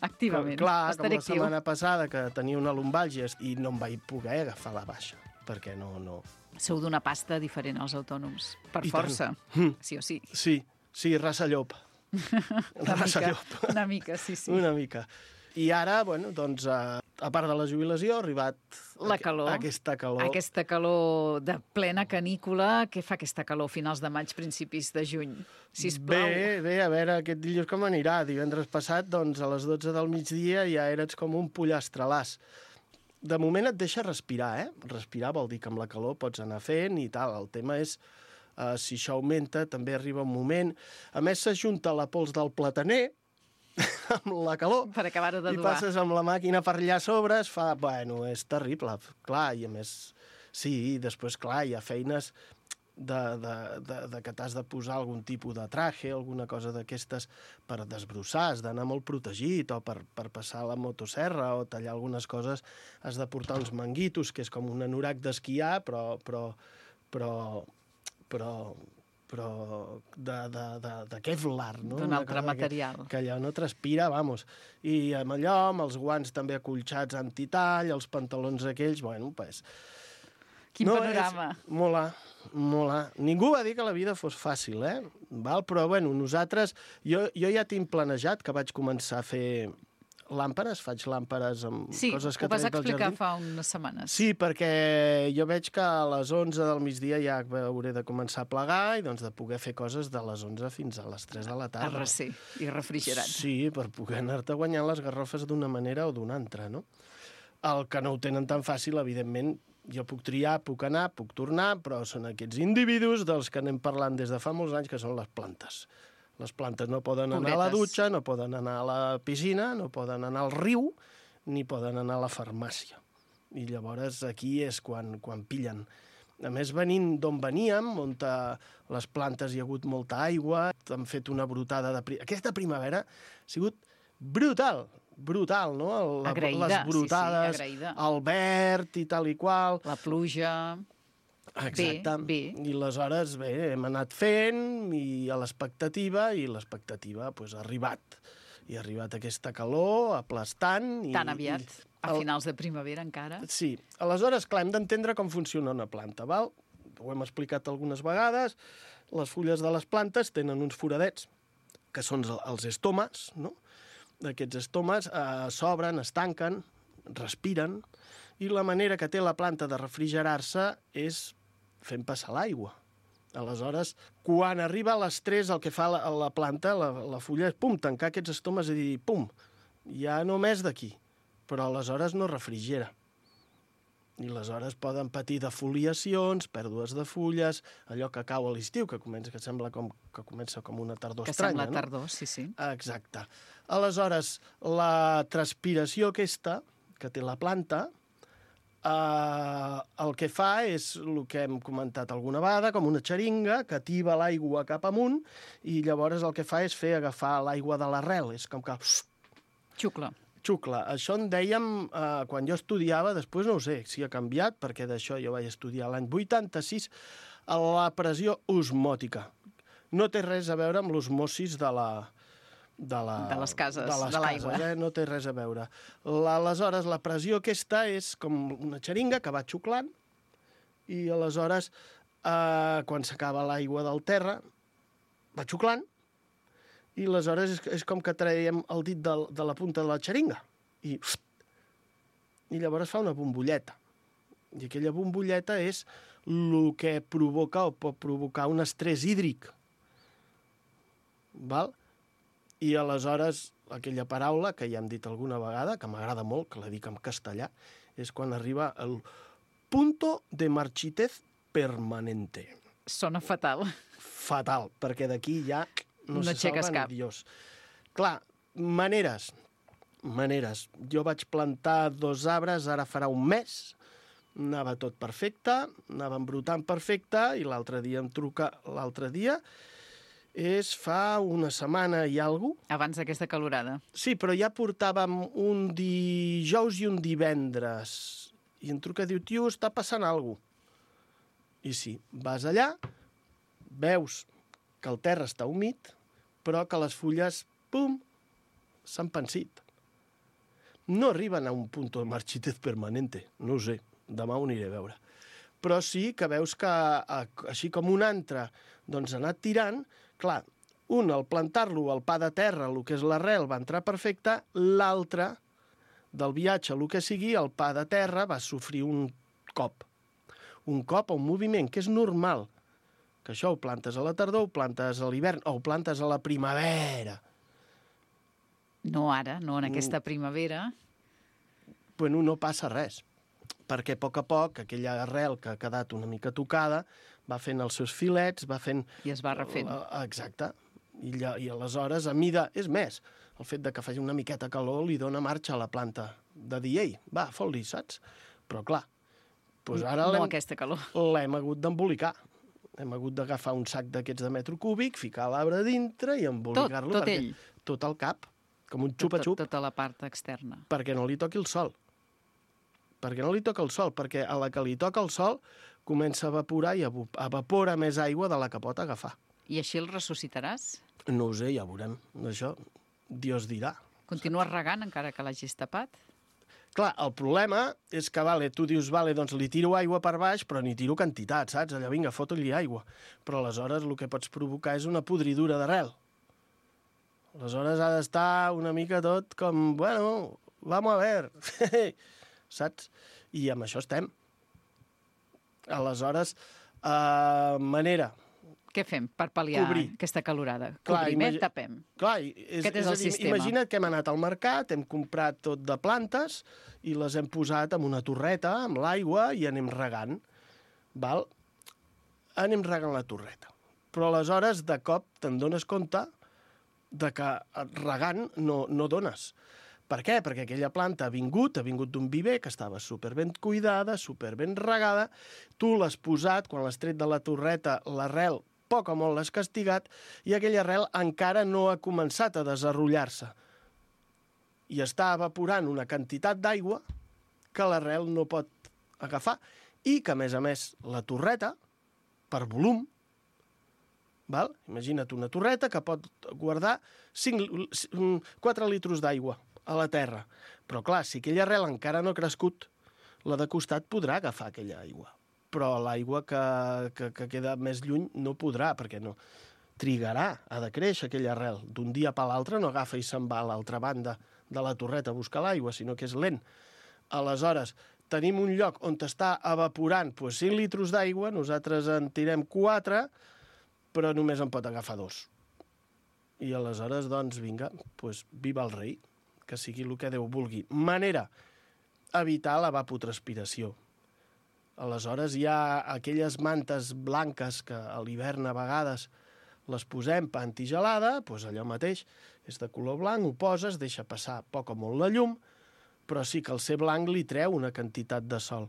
Activament. Clar, com la setmana passada, que tenia una lumbàlgia i no em vaig poder agafar la baixa, perquè no... Sou d'una pasta diferent als autònoms, per força, sí o sí. Sí, raça llop. Una mica, sí. Una mica. I ara, bueno, doncs, a part de la jubilació, ha arribat aquesta calor. Aquesta calor de plena canícula. Què fa aquesta calor finals de maig, principis de juny? Sisplau. Bé, a veure, aquest dilluns com anirà. Divendres passat, doncs, a les 12 del migdia ja eres com un pollastrelàs. De moment et deixa respirar, Respirar vol dir que amb la calor pots anar fent i tal. El tema és, si això augmenta, també arriba un moment... A més, s'ajunta la pols del plataner amb la calor. Per acabar de dur. I passes amb la màquina per allà a sobre, es fa... Bueno, és terrible, clar, i a més... Sí, després, clar, hi ha feines de que t'has de posar algun tipus de traje, alguna cosa d'aquestes per desbrossar, has d'anar molt protegit, o per passar la motosserra, o tallar algunes coses, has de portar uns manguitos, que és com un anorac d'esquiar, però de Kevlar, no? D'un altre material. Que allò no transpira, vamos. I amb allò, amb els guants també acolxats antitall, els pantalons aquells, bueno, pues... Quin panorama. Mola. Ningú va dir que la vida fos fàcil, Val? Però, bueno, nosaltres... Jo ja tinc planejat que vaig començar a fer làmperes, faig làmperes amb coses que trec del jardí. Sí, ho vas explicar fa unes setmanes. Sí, perquè jo veig que a les 11 del migdia ja hauré de començar a plegar i doncs de poder fer coses de les 11 fins a les 3 de la tarda. Arrecer i refrigerat. Sí, per poder anar-te guanyant les garrofes d'una manera o d'una altra, no? El que no ho tenen tan fàcil, evidentment, jo puc triar, puc anar, puc tornar, però són aquests individus dels que anem parlant des de fa molts anys, que són les plantes. Les plantes no poden anar a la dutxa, no poden anar a la piscina, no poden anar al riu, ni poden anar a la farmàcia. I llavors aquí és quan pillen. A més, venint d'on veníem, on les plantes hi ha hagut molta aigua, han fet una brotada de... Aquesta primavera ha sigut brutal, no? Agraïda, les brotades, sí, agraïda. El verd i tal i qual. La pluja... Exacte. Bé. I aleshores, hem anat fent i a l'expectativa, doncs, ha arribat. I ha arribat aquesta calor, aplastant... Tan aviat, a finals de primavera encara. Sí. Aleshores, clar, hem d'entendre com funciona una planta, val? Ho hem explicat algunes vegades. Les fulles de les plantes tenen uns foradets, que són els estomes, no? Aquests estomes s'obren, es tanquen, respiren, i la manera que té la planta de refrigerar-se és fent passar l'aigua. Aleshores, quan arriba a l'estrès, el que fa la planta, la fulla, és tancar aquests estomes i dir, ja no més d'aquí. Però aleshores no refrigera. I aleshores poden patir defoliacions, pèrdues de fulles, allò que cau a l'estiu, que sembla que comença com una tardor estranya, no? Que sembla tardor, sí. Exacte. Aleshores, la transpiració aquesta que té la planta, el que fa és el que hem comentat alguna vegada, com una xeringa que atiba l'aigua cap amunt i llavors el que fa és fer agafar l'aigua de l'arrel. És com que... Xucla. Això en dèiem quan jo estudiava, després no ho sé si ha canviat, perquè d'això jo vaig estudiar l'any 86, la pressió osmòtica. No té res a veure amb l'osmosis de les cases, de l'aigua. No té res a veure. Aleshores, la pressió aquesta és com una xeringa que va xuclant i aleshores, quan s'acaba l'aigua del terra, va xuclant i aleshores és com que traiem el dit de la punta de la xeringa i llavors fa una bombolleta. I aquella bombolleta és el que provoca o pot provocar un estrès hídric. Val? I aleshores aquella paraula que ja hem dit alguna vegada, que m'agrada molt, que la dic en castellà, és quan arriba el punto de marchitez permanente. Sona fatal. Fatal, perquè d'aquí ja... No se salva ni Dios. Clar, maneres. Jo vaig plantar 2 arbres, ara farà un mes, anava tot perfecte, anava embrutant perfecte, i l'altre dia em truca, fa una setmana i alguna cosa. Abans d'aquesta calorada. Sí, però ja portàvem un dijous i un divendres, i em truca i diu, tio, està passant alguna cosa. I sí, vas allà, veus que el terra està humit, però que les fulles, pum, s'han pensit. No arriben a un punt de marchitez permanente, no ho sé, demà ho aniré a veure. Però sí que veus que, així com un altre, doncs ha anat tirant, clar, un, al plantar-lo al pa de terra, el que és l'arrel, va entrar perfecte, l'altre, del viatge, el que sigui, el pa de terra va sofrir un cop, un moviment, que és normal, que això ho plantes a la tardor, ho plantes a l'hivern, o ho plantes a la primavera. No ara, no en aquesta primavera. Bueno, no passa res, perquè a poc aquella arrel que ha quedat una mica tocada va fent els seus filets, va fent... I es va refent. Exacte. I aleshores, a mida... És més, el fet de que faci una miqueta calor li dona marxa a la planta de dir, ei, va, fot-li, saps? Però clar, doncs ara no aquesta calor. L'hem hagut d'embolicar. Hem hagut d'agafar un sac d'aquests de metro cúbic, ficar l'arbre dintre i embolicar-lo. Tot ell? Tot el cap, com un xupa-xup. Tota la part externa. Perquè no li toqui el sol. Perquè a la que li toca el sol comença a evaporar i evapora més aigua de la que pot agafar. I així el ressuscitaràs? No ho sé, ja veurem. Això, Dios dirà. Continues regant encara que l'hagis tapat? Clar, el problema és que, tu dius, doncs li tiro aigua per baix, però ni tiro quantitat, saps? Allà, vinga, fota-li aigua. Però aleshores el que pots provocar és una podridura d'arrel. Aleshores ha d'estar una mica tot com, bueno, vamos a ver, saps? I amb això estem. Aleshores, manera... Què fem per pal·liar aquesta calorada? Cobrim, tapem. Clar, aquest és el sistema. Imagina't que hem anat al mercat, hem comprat tot de plantes i les hem posat en una torreta, amb l'aigua, i anem regant. Val? Anem regant la torreta. Però aleshores, de cop, te'n dones compte de que regant no dones. Per què? Perquè aquella planta ha vingut d'un viver que estava superben cuidada, superben regada, tu l'has posat, quan l'has tret de la torreta, l'arrel poc o molt l'has castigat, i aquella arrel encara no ha començat a desenrotllar-se. I està evaporant una quantitat d'aigua que l'arrel no pot agafar, i que, a més, la torreta, per volum, val? Imagina't una torreta que pot guardar 4 litres d'aigua a la terra. Però, clar, si aquella arrel encara no ha crescut, la de costat podrà agafar aquella aigua. Però l'aigua que queda més lluny no podrà, perquè no trigarà, ha de créixer aquella arrel. D'un dia per l'altre no agafa i se'n va a l'altra banda de la torreta a buscar l'aigua, sinó que és lent. Aleshores, tenim un lloc on està evaporant 5 litres d'aigua, nosaltres en tirem 4, però només en pot agafar 2. I aleshores, doncs, vinga, viva el rei, que sigui el que Déu vulgui. Manera, evitar l'evapotranspiració. Aleshores hi ha aquelles mantes blanques que a l'hivern a vegades les posem per antigelada, doncs allò mateix, és de color blanc, ho poses, deixa passar poc o molt la llum, però sí que el ser blanc li treu una quantitat de sol.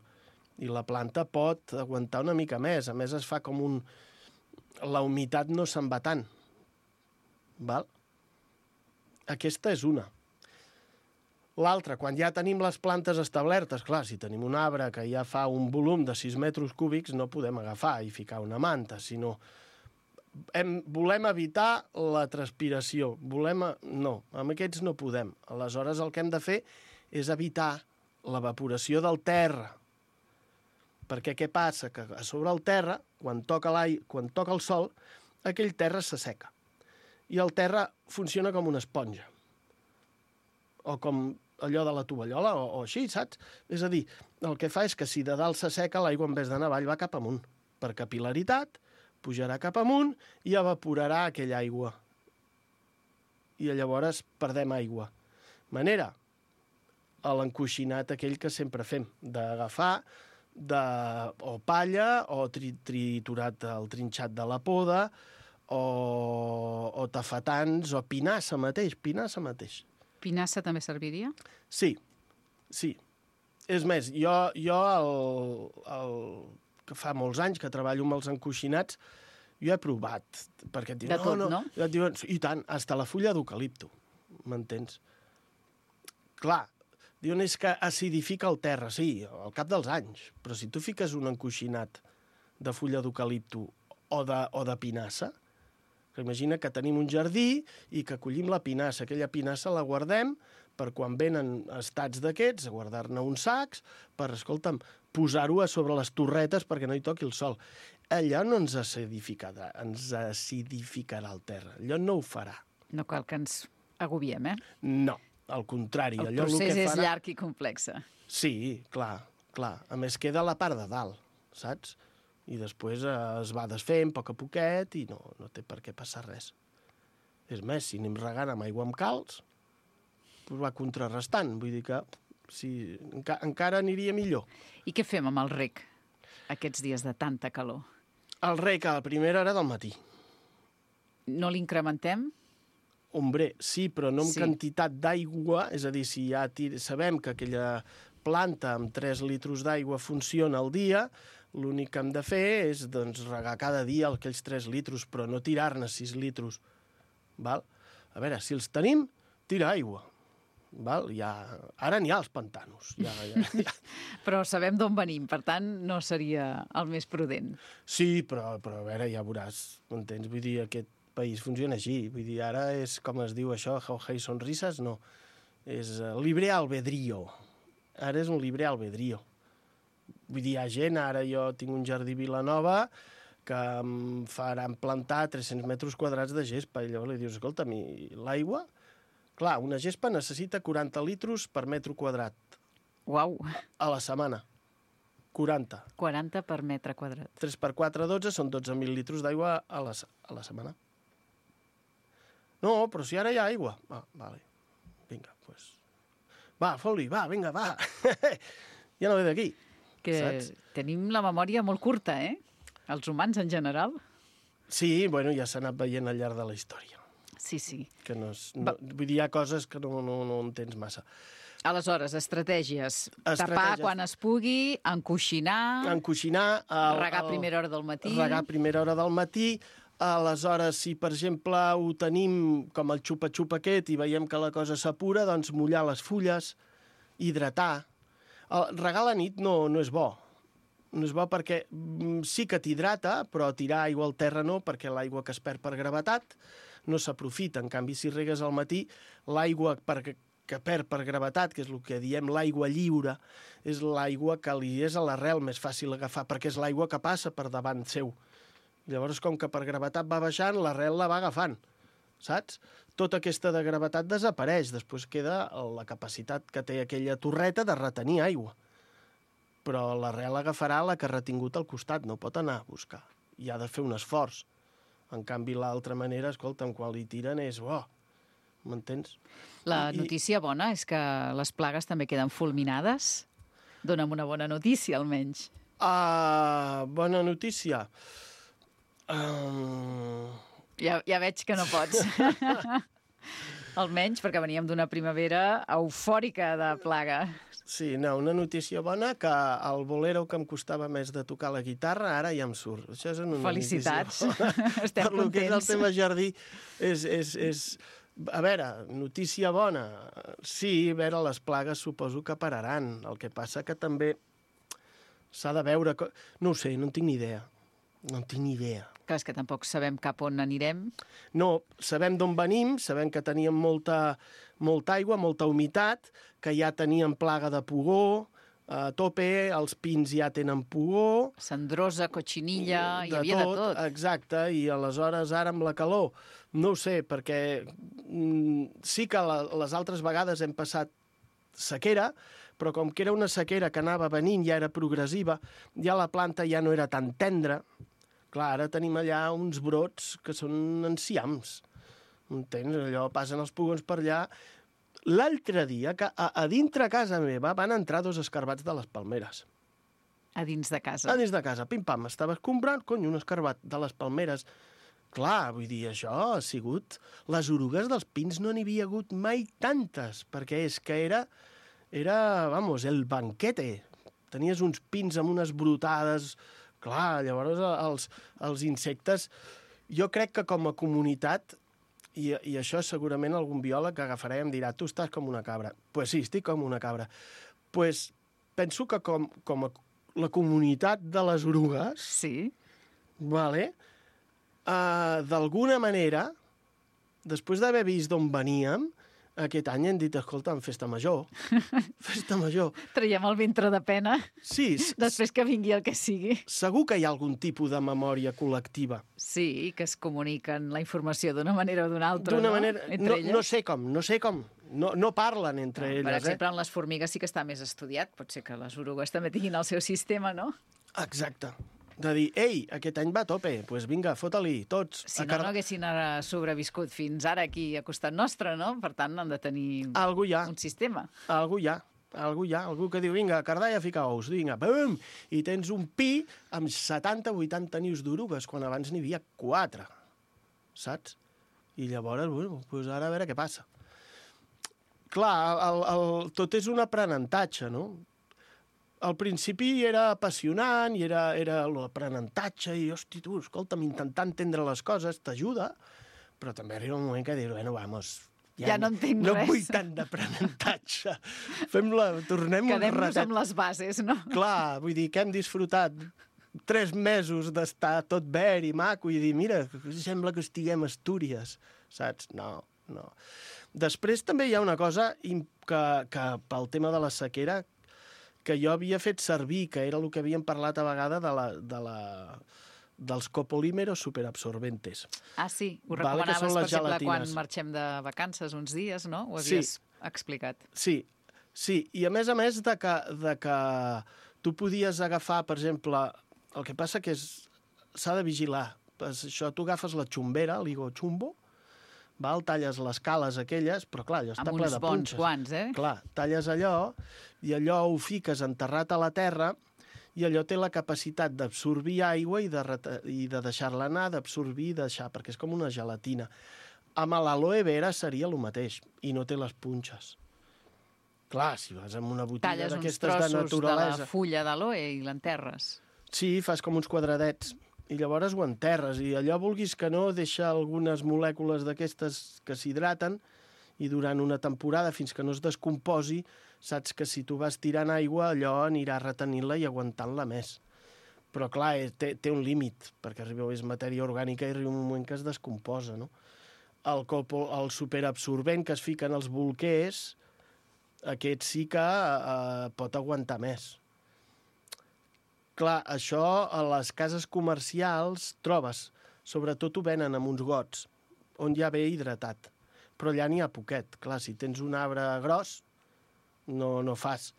I la planta pot aguantar una mica més. A més, es fa com un... La humitat no se'n va tant. Val? Aquesta és una. L'altra, quan ja tenim les plantes establertes, clar, si tenim un arbre que ja fa un volum de 6 metres cúbics, no podem agafar i ficar una manta, sinó... Volem evitar la transpiració. No, amb aquests no podem. Aleshores, el que hem de fer és evitar l'evaporació del terra. Perquè què passa? Que a sobre el terra, quan toca el sol, aquell terra s'asseca. I el terra funciona com una esponja. O com allò de la tovallola, o així, saps? És a dir, el que fa és que si de dalt s'asseca, l'aigua en vez d'anar avall va cap amunt. Per capil·laritat, pujarà cap amunt i evaporarà aquella aigua. I llavors perdem aigua. Manera, a l'encoixinat aquell que sempre fem, d'agafar o palla, o triturat el trinxat de la poda, o tafetans, o pinassa mateix. Pinassa també serviria? Sí. És més, jo que fa molts anys que treballo amb els encoixinats, jo he provat, perquè et diuen... De tot, no? Et diuen, i tant, hasta la fulla d'eucalipto, m'entens? Clar, diuen és que acidifica el terra, sí, al cap dels anys, però si tu fiques un encoixinat de fulla d'eucalipto o de pinassa, que imagina que tenim un jardí i que collim la pinassa, aquella pinassa la guardem per quan venen estats d'aquests, a guardar-ne uns sacs, per, escolta'm, posar-ho a sobre les torretes perquè no hi toqui el sol. Allò no ens acidificarà el terra. Allò no ho farà. No cal que ens agobiem, eh? No, al contrari. El procés és llarg i complex. Sí, clar. A més, queda la part de dalt, saps? I després es va desfent a poquet i no té per què passar res. És més, si anem regant amb aigua amb calç, doncs va contrarrestant. Vull dir que encara aniria millor. I què fem amb el rec aquests dies de tanta calor? El rec a la primera hora del matí. No l'incrementem? Hombre, sí, però no amb quantitat d'aigua, és a dir, si ja sabem que aquella planta amb 3 litres d'aigua funciona al dia, l'únic que hem de fer és regar cada dia aquells 3 litres, però no tirar-ne 6 litres. Val? A veure, si els tenim, tira aigua. Val? Ara n'hi ha els pantanos. Però sabem d'on venim, per tant, no seria el més prudent. Sí, però a veure, ja veuràs, m'entens? Vull dir, aquest país funciona així. Vull dir, ara és, com es diu això, Jauja i Sonrises? No. És libre albedrío. Ara és un libre albedrío. Vull dir, hi ha gent, ara jo tinc un jardí Vilanova que em faran plantar 300 metres quadrats de gespa, i llavors li dius, escolta'm, i l'aigua? Clar, una gespa necessita 40 litres per metre quadrat. Uau! A la setmana. 40. 40 per metre quadrat. 3 per 4, 12, són 12.000 litres d'aigua a la setmana. No, però si ara hi ha aigua. Vale. Vinga, doncs... Va, fot-li, va, vinga, va. Ja no ve d'aquí. Saps? Tenim la memòria molt curta, eh? Els humans en general. Sí, bueno, ja s'ha anat veient al llarg de la història. Sí. Que vull dir, hi ha coses que no entens massa. Aleshores, estratègies. Tapar quan es pugui, encoixinar... Regar a primera hora del matí. Regar a primera hora del matí. Aleshores, si, per exemple, ho tenim com el xupa-xupa aquest i veiem que la cosa s'apura, doncs mullar les fulles, hidratar. Regar a la nit no és bo. No és bo perquè sí que t'hidrata, però tirar aigua al terra no, perquè l'aigua que es perd per gravetat no s'aprofita. En canvi, si regues al matí, l'aigua que perd per gravetat, que és el que diem l'aigua lliure, és l'aigua que li és a l'arrel més fàcil agafar, perquè és l'aigua que passa per davant seu. Llavors, com que per gravetat va baixant, l'arrel la va agafant, saps? Tota aquesta de gravetat desapareix, després queda la capacitat que té aquella torreta de retenir aigua. Però l'arrel agafarà la que ha retingut al costat, no pot anar a buscar. I ha de fer un esforç. En canvi, l'altra manera, escolta'm, quan li tiren és... M'entens? La notícia bona és que les plagues també queden fulminades. Dóna'm una bona notícia, almenys. Bona notícia. Ja veig que no pots. Almenys perquè veníem d'una primavera eufòrica de plaga. Sí, no, una notícia bona, que el bolero que em costava més de tocar la guitarra, ara ja em surt. Això és una Felicitats. notícia bona. Estem Per lo que és el contents. tema jardí, és... A veure, notícia bona. Sí, a veure, les plagues suposo que pararan. El que passa que també s'ha de veure... No ho sé, no en tinc ni idea. No en tinc ni idea. Clar, és que tampoc sabem cap on anirem. No, sabem d'on venim, sabem que teníem molta aigua, molta humitat, que ja teníem plaga de pugó, a tope, els pins ja tenen pugó... Cendrosa, cotxinilla, hi havia de tot. Exacte, i aleshores ara amb la calor, no ho sé, perquè sí que les altres vegades hem passat sequera, però com que era una sequera que anava venint, ja era progressiva, ja la planta ja no era tan tendra. Clar, ara tenim allà uns brots que són enciams. Entens? Allò passen els pugons per allà. L'altre dia, que a dintre casa meva van entrar 2 escarbats de les palmeres. A dins de casa. A dins de casa, pim-pam, estava comprant, un escarbat de les palmeres. Clar, vull dir, això ha sigut... Les orugues dels pins no n'hi havia hagut mai tantes, perquè és que era, vamos, el banquete. Tenies uns pins amb unes brotades... Clar, llavors els insectes... Jo crec que com a comunitat, i això segurament algun biòleg agafarà i em dirà tu estàs com una cabra. Pues sí, estic com una cabra. Pues penso que com a la comunitat de les orugues... Sí. Vale, d'alguna manera, després d'haver vist d'on veníem, aquest any hem dit, escolta, festa major. Festa major. Traiem el ventre de pena. Sí. Després que vingui el que sigui. Segur que hi ha algun tipus de memòria col·lectiva. Sí, que es comuniquen la informació d'una manera o d'una altra, D'una no? manera... No sé com. No parlen entre elles. Per exemple, en les formigues sí que està més estudiat. Pot ser que les orugues també tinguin el seu sistema, no? Exacte. De dir, ei, aquest any va a tope, doncs pues vinga, fota-li, tots. Si no, no haguessin sobreviscut fins ara aquí a costat nostre, no? Per tant, han de tenir un sistema. Algú hi ha, algú que diu, vinga, Cardalla fica ous, vinga, bum! I tens un pi amb 70-80 nius d'orugues, quan abans n'hi havia 4, saps? I llavors, bueno, doncs ara a veure què passa. Clar, tot és un aprenentatge, no? Al principi era apassionant i era l'aprenentatge i, hosti, tu, escolta'm, intentar entendre les coses t'ajuda, però també arriba un moment que dius, bueno, vamos, ja no entenc no res. vull tant d'aprenentatge. Tornem un ratet. Quedem-nos amb les bases, no? Clar, vull dir que hem disfrutat 3 mesos d'estar tot verd i maco i dir, mira, sembla que estiguem a Astúries, saps? No. Després també hi ha una cosa que pel tema de la sequera que jo havia fet servir, que era el que havíem parlat a vegada dels copolímeros superabsorbentes. Ah, sí, ho recomanaves, per exemple, gelatines. quan marxem de vacances uns dies, no? Ho havies explicat. Sí, i a més de que tu podies agafar, per exemple, el que passa que s'ha de vigilar. Això, tu agafes la xumbera, l'higochumbo, talles les cales aquelles, però clar, allò està ple de punxes. Amb uns bons guants, eh? Clar, talles allò i allò ho fiques enterrat a la terra i allò té la capacitat d'absorbir aigua i de deixar-la anar, d'absorbir i deixar, perquè és com una gelatina. Amb l'aloe vera seria el mateix i no té les punxes. Clar, si vas amb una botiga d'aquestes de naturalesa... Talles uns trossos de la fulla d'aloe i l'enterres. Sí, fas com uns quadradets i llavors ho enterres, i allò vulguis que no, deixa algunes molècules d'aquestes que s'hidraten i durant una temporada, fins que no es descomposi, saps que si tu vas tirant aigua, allò anirà retenint-la i aguantant-la més. Però clar, té un límit, perquè és matèria orgànica i arriba un moment que es descomposa, no? El superabsorbent que es fica en els bolquers, aquest sí que pot aguantar més. Clar, això a les cases comercials trobes, sobretot ho venen amb uns gots, on ja ve hidratat, però allà n'hi ha poquet. Clar, si tens un arbre gros, no fas.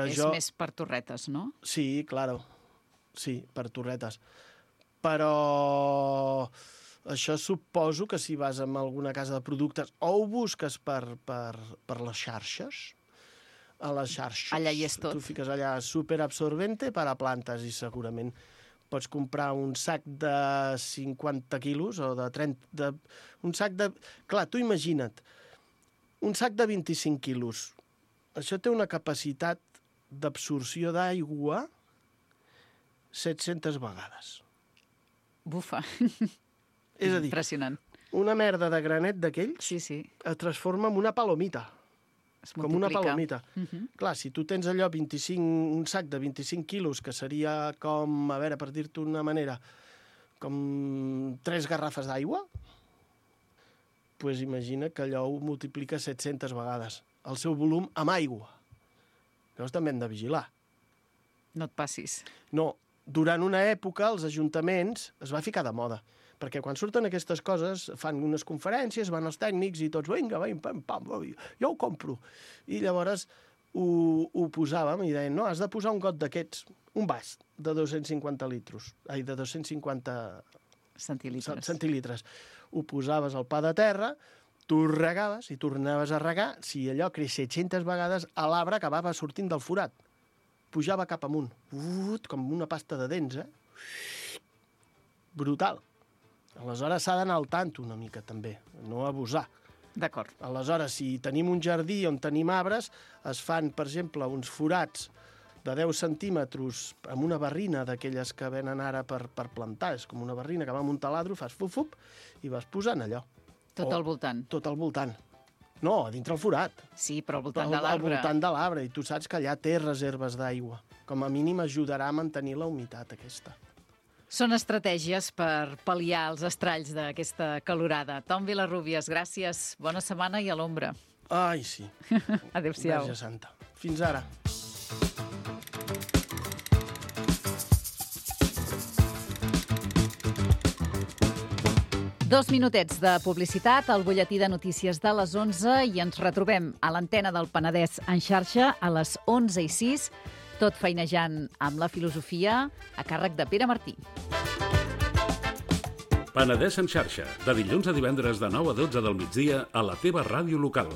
És més per torretes, no? Sí, claro. Sí, per torretes. Però això suposo que si vas a alguna casa de productes o ho busques per les xarxes, a les xarxes. Allà hi és tot. Tu fiques allà superabsorbente per a plantes i segurament pots comprar un sac de 50 quilos o de 30... un sac de... Clar, tu imagina't, un sac de 25 quilos. Això té una capacitat d'absorció d'aigua 700 vegades. Bufa. És a dir, impressionant. Una merda de granet d'aquells Sí. es transforma en una palomita. Es Com una multiplica. palomita. Clar, si tu tens allò un sac de 25 quilos, que seria com, a veure, per dir-te una manera, com 3 garrafes d'aigua, doncs imagina que allò ho multiplica 700 vegades. El seu volum amb aigua. Llavors també hem de vigilar. No et passis. No, durant una època els ajuntaments es va ficar de moda, perquè quan surten aquestes coses fan unes conferències, van els tècnics i tots, vinga, pam, pam, jo ho compro. I llavors ho posàvem i deien, no, has de posar un got d'aquests, un vas de 250 litros, de 250 centilitres. Ho posaves al pa de terra, tu regaves i tornaves a regar, si allò creix 700 vegades, l'arbre acabava sortint del forat. Pujava cap amunt, com una pasta de dents, Brutal. Aleshores s'ha d'anar al tanto una mica, també, no abusar. D'acord. Aleshores, si tenim un jardí on tenim arbres, es fan, per exemple, uns forats de 10 centímetres amb una barrina d'aquelles que venen ara per plantar. És com una barrina que va amb un taladro, fas fup-fup i vas posant allò. Tot al voltant. Tot al voltant. No, a dintre el forat. Sí, però al voltant de l'arbre. Al voltant de l'arbre, i tu saps que allà té reserves d'aigua. Com a mínim ajudarà a mantenir la humitat aquesta. Són estratègies per pal·liar els estralls d'aquesta calorada. Tom Vilarrubias, gràcies. Bona setmana i a l'ombra. Ai, sí. Adéu-siau. Verge Santa. Fins ara. Dos minutets de publicitat al butlletí de notícies de les 11 i ens retrobem a l'antena del Penedès en xarxa a les 11:06, tot feinejant amb la filosofia a càrrec de Pere Martí. Penedès en xarxa, de dilluns a divendres de 9 a 12 del migdia a la teva ràdio local.